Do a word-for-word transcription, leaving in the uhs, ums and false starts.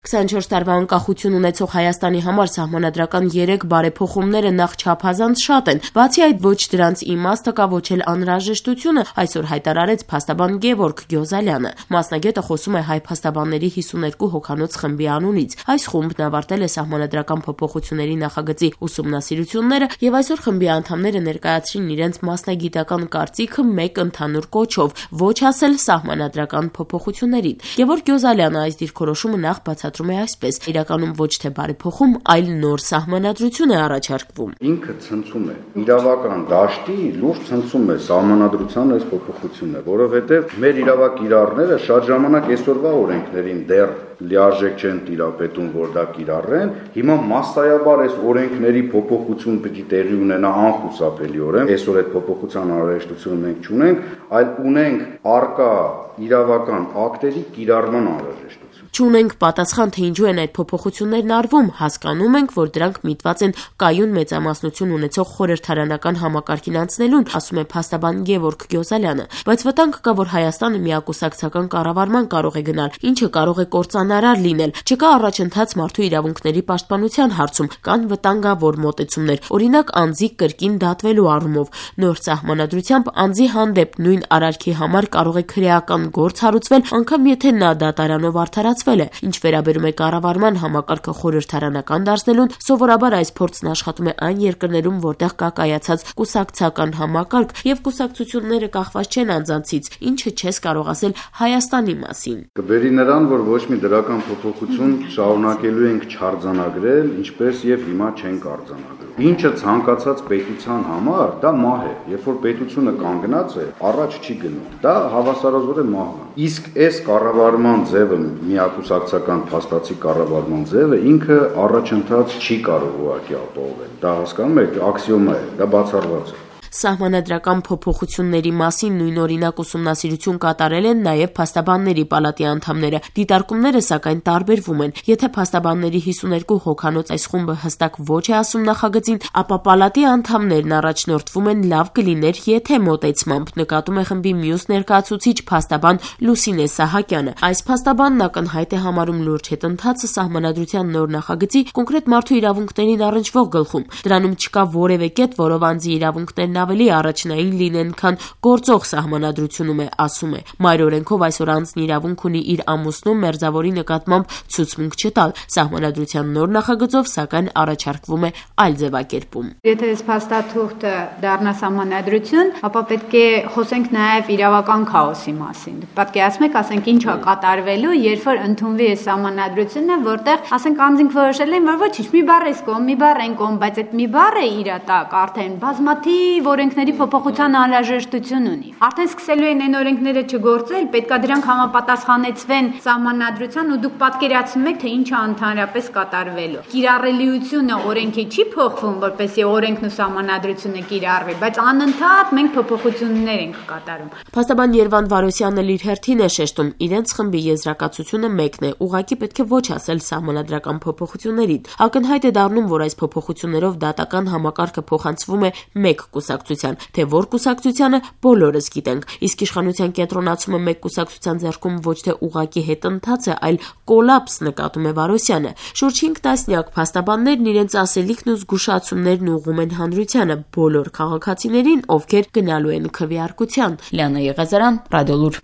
քսանչորս տարվա անկախություն ունեցող Հայաստանի համար սահմանադրական երեք բարեփոխումները նախ չափազանց շատ են, բացի այդ ոչ դրանց իմաստը կա, ոչ էլ անհրաժեշտությունը, այսօր հայտարարեց փաստաբան Գևորգ Գյոզալյանը։ Մասնագետը խոսում է հայ փաստաբանների հիսուներկու հոգանոց խմբի անունից։ Այս խումբն ավարտել է սահմանադրական փոփոխությունների նախագծի ուսումնասիրությունները եւ այսօր խմբի անդամները ներկայացրին իրենց մասնագիտական կարծիքը մեկ ընդհանուր կոչով՝ ոչ ասել սահմանադրական փոփոխություններին։ Գևորգ Գյոզալյանը այս դիրքորոշումը նախ բացատրում է այսպես. իրականում ոչ թե բարեփոխում, այլ նոր սահմանադրություն է առաջարկվում։ Ինքը ցնցում է իրավական դաշտի լուրջ ցնցում է սահմանադրության այս փոփոխությունը, որովհետև մեր իրավակիրառները շատ ժամանակ այսօրվա օրենքներին դեռ լիարժեք չեն տիրապետում, որ դա կիրառեն։ Հիմա մասսայաբար այս օրենքների փոփոխություն պիտի տեղի ունենա անխուսափելիորեն։ Այսօր այդ փոփոխության անհրաժեշտությունը մենք չունենք, այլ ունենք արկա իրավական ակտերի կիրառման անհրաժեշտություն։ Չունենք պատասխան, թե ինչու են այդ փոփոխություններն արվում, հասկանում ենք, որ դրանք միտված են կայուն մեծամասնություն ունեցող խորհրդարանական համակարգին անցնելուն, ասում է փաստաբան Գևորգ Գյոզալյանը, բայց վտանգ կա, որ Հայաստանը միակուսակցական կառավարման կարող է գնալ, ինչը կարող է կործանարար լինել։ Չկա առաջընթաց մարդու իրավունքների պաշտպանության հարցում, կան վտանգավոր մոտեցումներ, օրինակ անձի կրկին դատվելու առումով։ Նոր սահմանադրությամբ անձի հանդեպ նույն արարքի համար կարող է քրեական գործ հարուցվել, անգամ եթե նա դատարանով արդարացվել է։ Ինչ վերաբերում է կառավարման համակարգը խորհրդարանական դարձնելուն, սովորաբար այս փորձն աշխատում է այն երկրներում, որտեղ կա կայացած կուսակցական համակարգ եւ կուսակցությունները կախված չեն անձանցից, ինչը չես կարող ասել Հայաստանի մասին։ Կբերի նրան, որ ոչ մի դրական փոփոխություն շարունակելու ենք չարձանագրել, ինչպես եւ հիմա չենք արձանագրում։ Ինչը ցանկացած պետության համար դա մահ է, երբ որ պետությունը կանգնած է, առաջ չի գնում։ Դա հավասարազորեն մահն է։ Իսկ այս կառավարման ձևը, միակուսակցական փաստացի կառավարման ձևը ինքը առաջընթաց չի կարող ուղղակի ապահովել։ Դա հասկանում եք, աքսիոմա է, դա բացառված է։ Սահմանադրական փոփոխությունների մասին նույնօրինակ ուսումնասիրություն կատարել են նաև փաստաբանների պալատի անդամները։ Դիտարկումները սակայն տարբերվում են։ Եթե փաստաբանների հիսուներկու հոգանոց այս խումբը հստակ ոչ է ասում նախագծին, ապա պալատի անդամներն առաջնորդվում են լավ կլիներ, եթե մոտեցմամբ, նկատում է խմբի մյուս ներկայացուցիչ փաստաբան Լուսինե Սահակյանը։ Այս փաստաբանն ակնհայտ է համարում լուրջ հետընթացը սահմանադրության նոր նախագծի կոնկրետ մարդու իրավունքներին առնչվող գլխում։ Դրանում չկա որևէ կետ, որով անձի իրավունքներն ավելի առաջնային լինեն, քան գործող սահմանադրությունում է, ասում է։ Մայր օրենքով այսօր անձն իրավունք ունի իր ամուսնու մերձավորի նկատմամբ ցուցմունք չտալ։ Սահմանադրության նոր նախագծով սակայն առաջարկվում է այլ ձևակերպում։ Եթե այս փաստաթուղթը դառնա սահմանադրություն, ապա պետք է խոսենք նաև իրավական քաոսի մասին։ Պատկերացնում եք, ասենք ինչ է կատարվելու, երբ որ ընդունվի այս սահմանադրությունը, որտեղ ասենք անձինք որոշել են, որ ոչինչ, մի բառ էս կողմ, մի բառ այն կողմ, բայց այդ մի բառը իր տակ արդեն բազմաթիվ օրենքների փոփոխության անհրաժեշտություն ունի։ Արդեն սկսելու են այն օրենքները չգործել, պետքա դրանք համապատասխանեցվեն սահմանադրության ու դուք պատկերացնում եք, թե ինչ է ընդհանրապես կատարվելու։ Կիրառելիությունը օրենքի չի փոխվում, որպեսզի օրենքն ու սահմանադրությունը կիրառվի, բայց անընդհատ մենք փոփոխություններ ենք կատարում։ Փաստաբան Երվանդ Վարոսյանն էլ իր հերթին է շեշտում, իրենց խմբի եզրակացությունը մեկն է, ուղղակի պետք է ոչ ասել սահմանադրական փոփոխություններին։ Ակնհայտ է դառնում, որ այս փոփոխություններով դատական համակարգը փոխանցվում է մեկ կուսակցության, թե որ կուսակցությանը բոլորս գիտենք, իսկ իշխանության կենտրոնացումը մեկ կուսակցության ձեռքում ոչ թե ուղղակի հետընթաց է, այլ կոլապս, նկատում է Վարոսյանը։ Շուրջ հինգ տասնյակ փաստաբաններն իրենց ասելիքն ու զգուշացումներն ուղղում են հանրությանը, բոլոր քաղաքացիներին, ովքեր գնալու են քվեարկության։ Լիանա Եղազարյան, Ռադիոլուր։